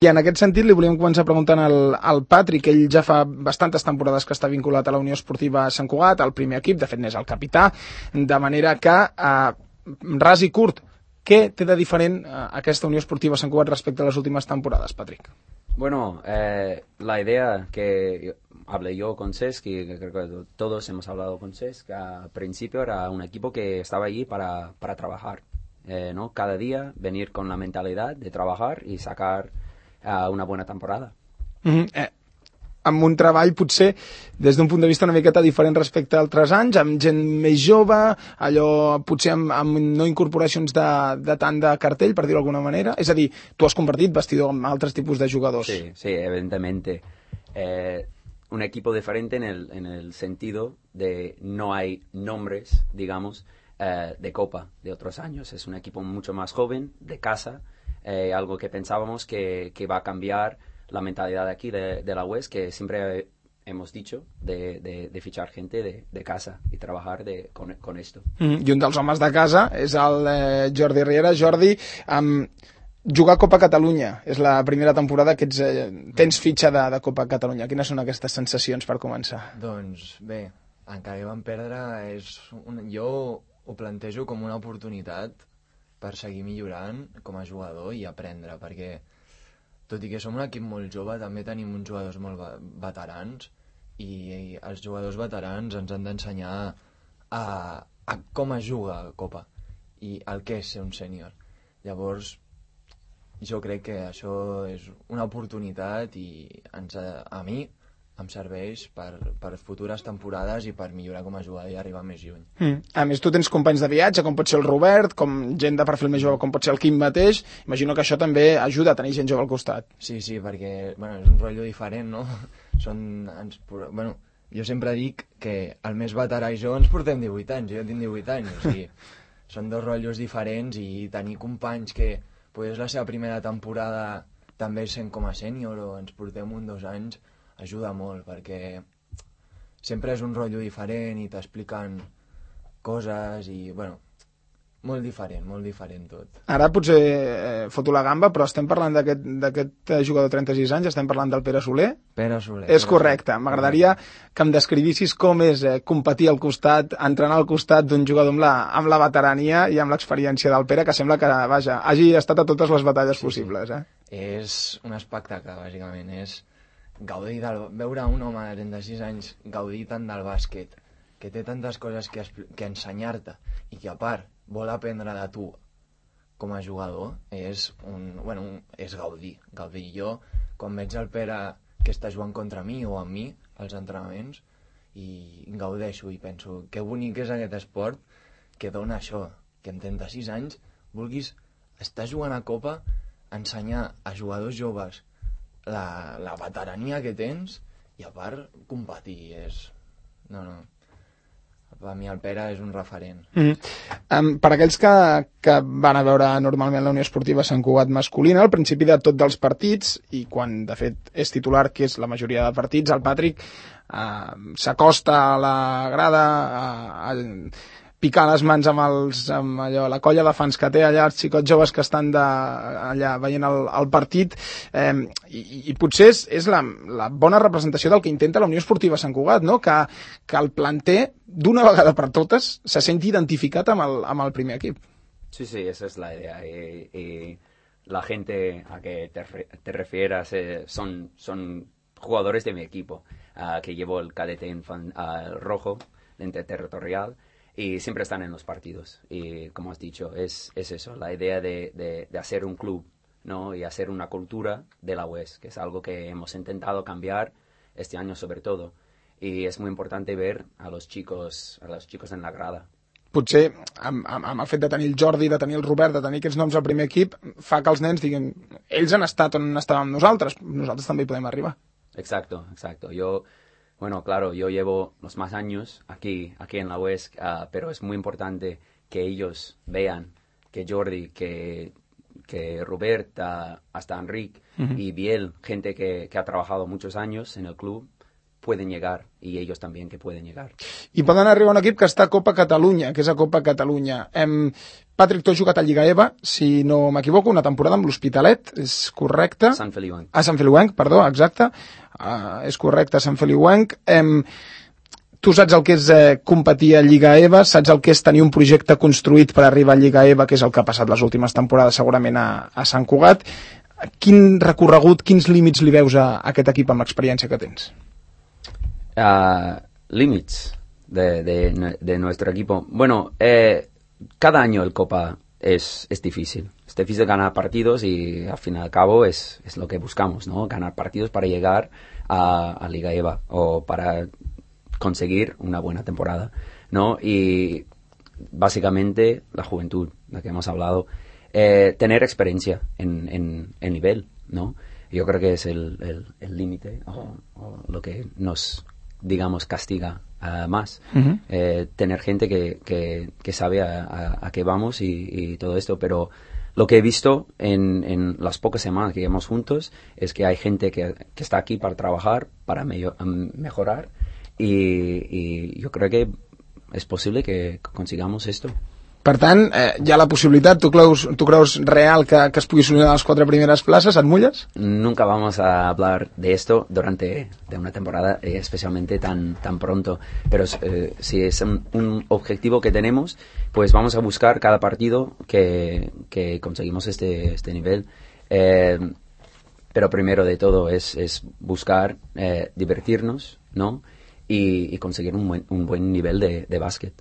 I en aquest sentit li volíem començar preguntant al Patrick, ell ja fa bastantes temporades que està vinculat a la Unió Esportiva Sant Cugat, al primer equip, de fet n'és el capità, de manera que, ras i curt, què té de diferent aquesta Unió Esportiva Sant Cugat respecte a les últimes temporades, Patrick? Bueno, la idea que hablé yo con Cesc, y creo que todos hemos hablado con Cesc, al principio era un equipo que estaba allí para trabajar, ¿no? Cada día venir con la mentalidad de trabajar y sacar una buena temporada. Amb un treball potser des d'un punt de vista una miqueta diferent respecte a altres anys, amb gent més jove, allò potser amb no incorporacions de tant de cartell, per dir-ho d'alguna manera. És a dir, tu has convertit vestidor amb altres tipus de jugadors. Sí, sí, evidentemente. Un equipo diferente en el sentido de no hay nombres, digamos, de Copa de otros años. Es un equipo mucho más joven, de casa, algo que pensábamos que va a cambiar la mentalidad de aquí, de la UES, que siempre hemos dicho, de fichar gente de casa y trabajar con esto. I un dels homes de casa és el Jordi Riera. Jordi, jugar a Copa Catalunya és la primera temporada que tens fitxa de Copa Catalunya. Quines són aquestes sensacions per començar? Doncs bé, encara que vam perdre, jo ho plantejo com una oportunitat per seguir millorant com a jugador i aprendre, perquè tot i que som un equip molt jove, també tenim uns jugadors molt veterans i els jugadors veterans ens han d'ensenyar a com es juga a Copa i el que és ser un sènior. Llavors, jo crec que això és una oportunitat i a mi em serveix per futures temporades i per millorar com a jugador i arribar més lluny. A més, tu tens companys de viatge, com pot ser el Robert, com gent de perfil més jove, com pot ser el Quim mateix. Imagino que això també ajuda a tenir gent jove al costat. Sí, perquè és un rotllo diferent, no? Jo sempre dic que el més veterà i jo ens portem 18 anys, jo tinc 18 anys, o sigui, són dos rotllos diferents i tenir companys que és la seva primera temporada també sent com a sènior o ens portem 1 o 2 anys, ajuda molt, perquè sempre és un rotllo diferent i t'expliquen coses i, molt diferent tot. Ara potser foto la gamba, però estem parlant d'aquest jugador de 36 anys, estem parlant del Pere Soler? Pere Soler. És correcte. M'agradaria que em descrivissis com és competir al costat, entrenar al costat d'un jugador amb la veterania i amb l'experiència del Pere, que sembla que, hagi estat a totes les batalles possibles. És un espectacle, bàsicament. És gaudir veure un home de 36 anys gaudir tant del bàsquet, que té tantes coses que ensenyar-te i que a part vol aprendre de tu com a jugador, és gaudir. Jo, quan veig el Pere que està jugant contra mi o amb mi als entrenaments, i gaudeixo i penso que bonic és aquest esport que dona això, que amb 36 anys vulguis estar jugant a Copa, ensenyar a jugadors joves la veterania que tens i a part competir per mi el Pere és un referent. Per aquells que van a veure normalment la Unió Esportiva Sant Cugat masculina, al principi de tots els partits, i quan de fet és titular, que és la majoria de partits, el Patrick s'acosta a la grada a picar les mans amb la colla de fans que té allà, els xicots joves que estan allà veient el partit, i potser és la bona representació del que intenta la Unió Esportiva Sant Cugat, no? Que el planter, d'una vegada per totes, se senti identificat amb el primer equip. Sí, esa es la idea. Y la gente a que te refieras son jugadores de mi equipo, que llevo el cadete rojo, interterritorial, y siempre están en los partidos. Y como has dicho, es eso, la idea de hacer un club, ¿no? Y hacer una cultura de la UES, que es algo que hemos intentado cambiar este año sobre todo. Y es muy importante ver a los chicos en la grada. Potser amb el fet de tenir el Jordi, de tenir el Robert, de tenir aquests noms al primer equip, fa que els nens diguin, ells han estat on estàvem nosaltres també hi podem arribar. Exacto. Claro, yo llevo los más años aquí en la UES, pero es muy importante que ellos vean que Jordi, que Robert, hasta Enric y Biel, gente que ha trabajado muchos años en el club, pueden llegar, y ellos también que pueden llegar. I poden arribar a un equip que està a Copa Catalunya, que és a Copa Catalunya. Patrick, tu has jugat a Lliga EVA, si no m'equivoco, una temporada amb l'Hospitalet, és correcte? Sant Feliuenc. Sant Feliuenc, perdó, exacte. És correcte, Sant Feliuenc. Tu saps el que és competir a Lliga EVA, saps el que és tenir un projecte construït per arribar a Lliga EVA, que és el que ha passat les últimes temporades segurament a Sant Cugat. Quin recorregut, quins límits li veus a aquest equip amb l'experiència que tens? Límits de nuestro equipo. Bueno, cada año el Copa es difícil. Es difícil ganar partidos y al fin y al cabo es lo que buscamos, ¿no? Ganar partidos para llegar a Liga EVA o para conseguir una buena temporada, ¿no? Y básicamente la juventud, de la que hemos hablado, tener experiencia en nivel, ¿no? Yo creo que es el límite o lo que nos, digamos, castiga más. Uh-huh. Tener gente que sabe a qué vamos y todo esto, pero lo que he visto en las pocas semanas que llevamos juntos es que hay gente que está aquí para trabajar, para mejorar y yo creo que es posible que consigamos esto. Per tant, hi ha la possibilitat, tu creus real que es pugui solucionar les 4 primeres places, et mulles? Nunca vamos a hablar de esto durante una temporada, especialmente tan pronto, pero si es un objetivo que tenemos, pues vamos a buscar cada partido que conseguimos este nivel. Pero primero de todo es buscar divertirnos, ¿no? I conseguir un buen nivell de bàsquet.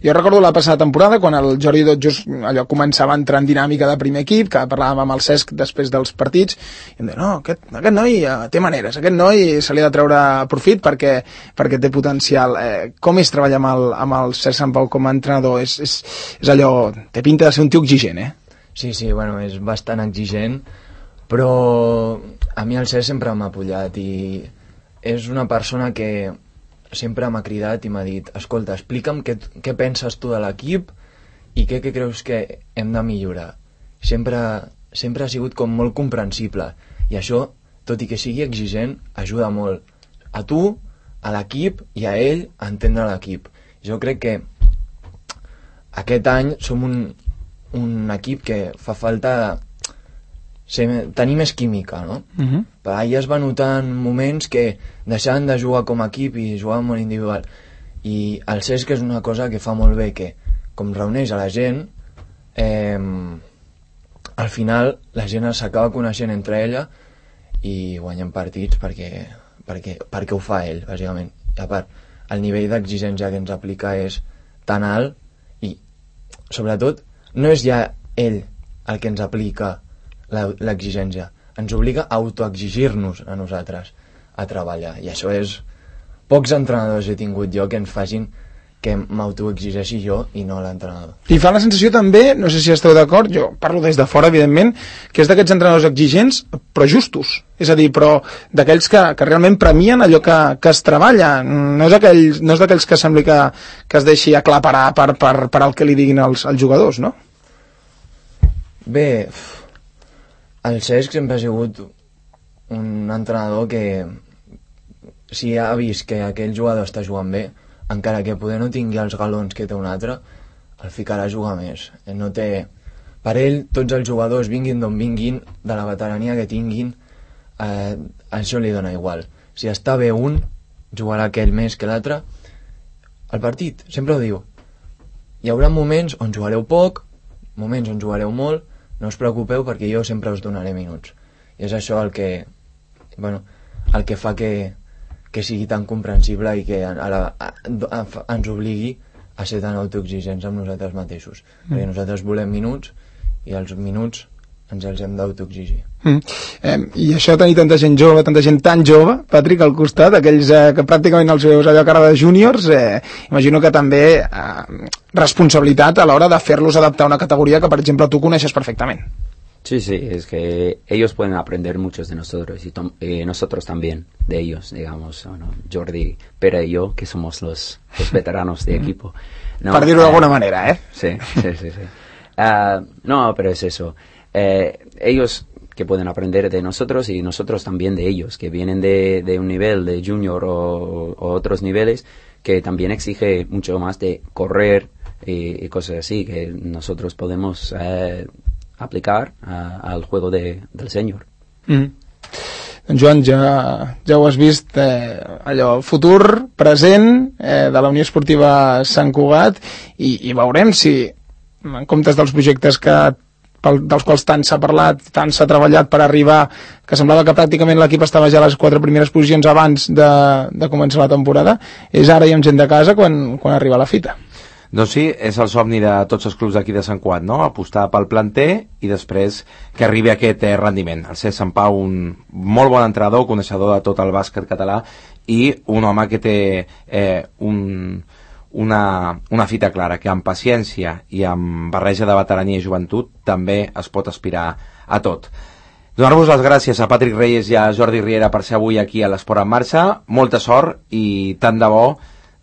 Jo recordo la passada temporada quan el Jordi Dot just allò començava a entrar en dinàmica de primer equip, que parlàvem amb el Cesc després dels partits i em deia, no, aquest noi té maneres, aquest noi se li ha de treure profit perquè té potencial. Com és treballar amb el Cesc Sant Pau com a entrenador? És allò, té pinta de ser un tio exigent, Sí, bueno, és bastant exigent, però a mi el Cesc sempre m'ha apollat i és una persona que sempre m'ha cridat i m'ha dit, escolta, explica'm què penses tu de l'equip i què creus que hem de millorar. Sempre ha sigut com molt comprensible i això, tot i que sigui exigent, ajuda molt a tu, a l'equip i a ell a entendre l'equip. Jo crec que aquest any som un equip que fa falta tenir més química, no? Uh-huh. Per allà es va notar en moments que deixaven de jugar com a equip i jugaven molt individual. I el Cesc és una cosa que fa molt bé, que com reuneix a la gent, al final la gent s'acaba coneixent entre ella i guanyen partits perquè ho fa ell, bàsicament. I a part, el nivell d'exigència que ens aplica és tan alt i, sobretot, no és ja ell el que ens aplica l'exigència, ens obliga a autoexigir-nos a nosaltres a treballar, i això és pocs entrenadors he tingut jo que ens facin que m'autoexigeixi jo i no l'entrenador. I fa la sensació també, no sé si esteu d'acord, jo parlo des de fora evidentment, que és d'aquests entrenadors exigents però justos, és a dir, però d'aquells que realment premien allò que es treballa, no és d'aquells que sembli que es deixi aclaparar per el que li diguin els jugadors, no? Bé, el Cesc sempre ha sigut un entrenador que si ha vist que aquell jugador està jugant bé, encara que poder no tingui els galons que té un altre, el ficarà a jugar més. No té... Per ell, tots els jugadors, vinguin d'on vinguin, de la veterania que tinguin, això li dona igual. Si està bé un, jugarà aquell més que l'altre. El partit, sempre ho diu. Hi haurà moments on jugareu poc, moments on jugareu molt, no us preocupeu perquè jo sempre us donaré minuts. I és això el que fa que sigui tan comprensible i que ens obligui a ser tan autoexigents amb nosaltres mateixos. Perquè nosaltres volem minuts i els minuts ens els hem d'autoexigir. I això de tenir tanta gent jove, tanta gent tan jove, Patrick, al costat, aquells que pràcticament els veus allò cara de júniors, imagino que també responsabilitat a l'hora de fer-los adaptar a una categoria que, per exemple, tu coneixes perfectament. Sí, es que ellos pueden aprender muchos de nosotros y nosotros también de ellos, digamos, ¿no? Jordi, Pere y yo, que somos los veteranos de equipo. ¿No? Para decirlo de alguna manera, ¿eh? Sí. No, pero es eso. Ellos que pueden aprender de nosotros y nosotros también de ellos, que vienen de un nivel de junior o otros niveles que también exige mucho más de correr, y cosas así que nosotros podemos aplicar al juego del sènior. Joan, ja ho has vist, allò, futur, present de la Unió Esportiva Sant Cugat, i veurem si, en comptes dels projectes dels quals tant s'ha parlat, tant s'ha treballat per arribar, que semblava que pràcticament l'equip estava ja a les 4 primeres posicions abans de començar la temporada, és ara i amb gent de casa quan arriba la fita. Doncs sí, és el somni de tots els clubs d'aquí de Sant Cugat, no? Apostar pel planter i després que arribi aquest rendiment. El Cesc Sant Pau, un molt bon entrenador, coneixedor de tot el bàsquet català i un home que té una fita clara, que amb paciència i amb barreja de veterania i joventut també es pot aspirar a tot. Donar-vos les gràcies a Patrick Reyes i a Jordi Riera per ser avui aquí a l'Esport en Marxa. Molta sort i tant de bo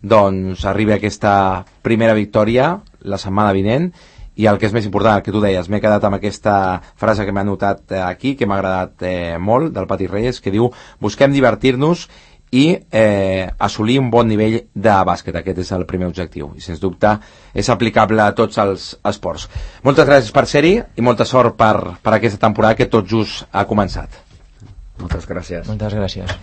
doncs arribi aquesta primera victòria la setmana vinent, i el que és més important, el que tu deies, m'he quedat amb aquesta frase que m'ha notat aquí, que m'ha agradat molt, del Patrick Reyes, que diu: busquem divertir-nos i assolir un bon nivell de bàsquet. Aquest és el primer objectiu i sens dubte és aplicable a tots els esports. Moltes gràcies per ser-hi i molta sort per aquesta temporada que tot just ha començat. Moltes gràcies. Moltes gràcies.